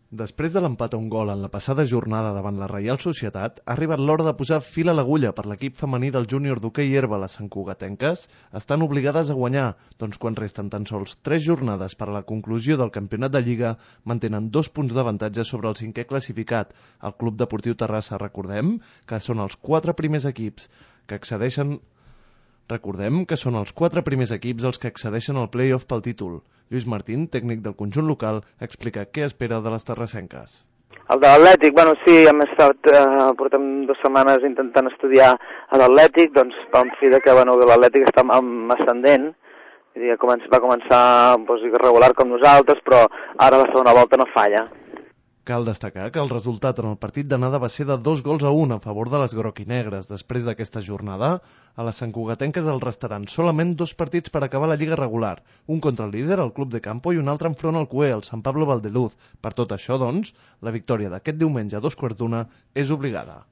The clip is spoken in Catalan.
Després de l'empat a un gol en la passada jornada davant la Reial Societat, ha arribat l'hora de posar fil a l'agulla per l'equip femení del júnior d'hoquei herba. Les santcugatenques estan obligades a guanyar, doncs quan resten tan sols 3 jornades per a la conclusió del campionat de Lliga, mantenen 2 punts d'avantatge sobre el 5è classificat, el Club Deportiu Terrassa. Recordem que són els 4 primers equips que accedeixen els que accedeixen al play-off pel títol. Lluís Martín, tècnic del conjunt local, explica què espera de les terrassenques. El de l'Atlètic, sí, portem 2 setmanes intentant estudiar a l'Atlètic, doncs vam fi que l'Atlètic està ascendent, va començar irregular com nosaltres, però ara la segona volta no falla. Cal destacar que el resultat en el partit d'anada va ser de 2-1 a favor de les groc-i-negres. Després d'aquesta jornada, a les santcugatenques els restaran solament 2 partits per acabar la Lliga regular, un contra el líder, el Club de Campo, i un altre enfront al CUE, el Sant Pablo Valdeluz. Per tot això, doncs, la victòria d'aquest diumenge a 2:15 és obligada.